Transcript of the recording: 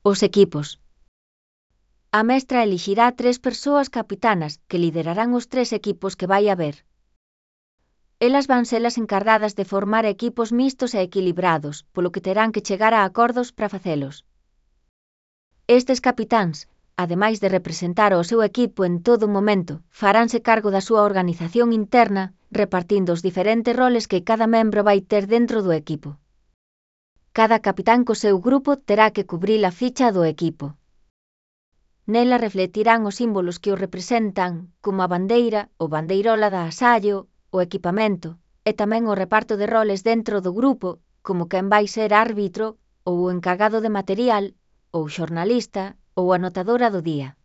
Os equipos. A mestra elixirá 3 persoas capitanas que liderarán os 3 equipos que vai haber. Elas van ser as encargadas de formar equipos mixtos e equilibrados, polo que terán que chegar a acordos para facelos. Estes capitáns, ademais de representar ao seu equipo en todo momento, faránse cargo da súa organización interna, repartindo os diferentes roles que cada membro vai ter dentro do equipo. Cada capitán co seu grupo terá que cubrir a ficha do equipo. Nela refletirán os símbolos que o representan, como a bandeira, o bandeirola da asallo, o equipamento, e tamén o reparto de roles dentro do grupo, como quen vai ser árbitro, ou o encargado de material, ou xornalista, ou anotadora do día.